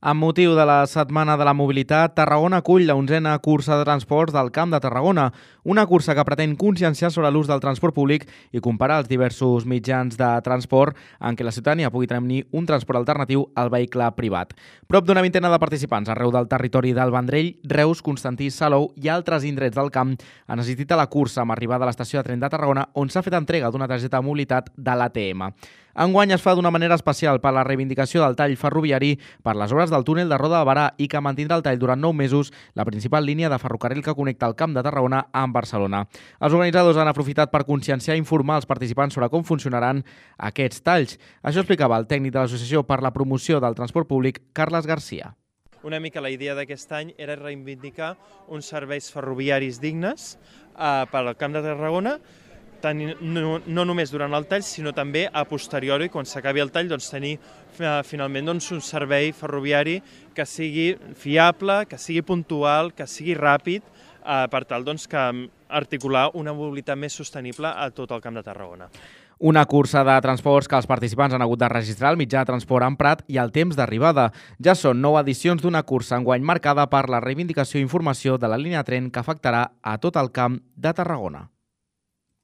Amb motiu de la Setmana de la Mobilitat, Tarragona acull la 11a cursa de transports del Camp de Tarragona, una cursa que pretén conscienciar sobre l'ús del transport públic i comparar els diversos mitjans de transport en què la ciutadania pugui tenir un transport alternatiu al vehicle privat. Prop d'una vintena de participants arreu del territori del Vendrell, Reus, Constantí, Salou i altres indrets del camp han assistit a la cursa amb arribada a l'estació de tren de Tarragona, on s'ha fet entrega d'una targeta de mobilitat de l'ATM. Enguany es fa d'una manera especial per la reivindicació del tall ferroviari per les obres del túnel de Roda de Barà i que mantindrà el tall durant 9 mesos, la principal línia de ferrocarril que connecta el Camp de Tarragona amb Barcelona. Els organitzadors han aprofitat per conscienciar i informar els participants sobre com funcionaran aquests talls. Això explicava el tècnic de l'Associació per la Promoció del Transport Públic, Carles Garcia. Una mica la idea d'aquest any era reivindicar uns serveis ferroviaris dignes per al Camp de Tarragona, no només durant el tall, sinó també a posteriori, quan s'acabi el tall, tenir finalment un servei ferroviari que sigui fiable, que sigui puntual, que sigui ràpid, per tal que articular una mobilitat més sostenible a tot el Camp de Tarragona. Una cursa de transports que els participants han hagut de registrar el mitjà de transport emprat i el temps d'arribada. Ja són 9 edicions d'una cursa enguany marcada per la reivindicació i informació de la línia de tren que afectarà a tot el Camp de Tarragona.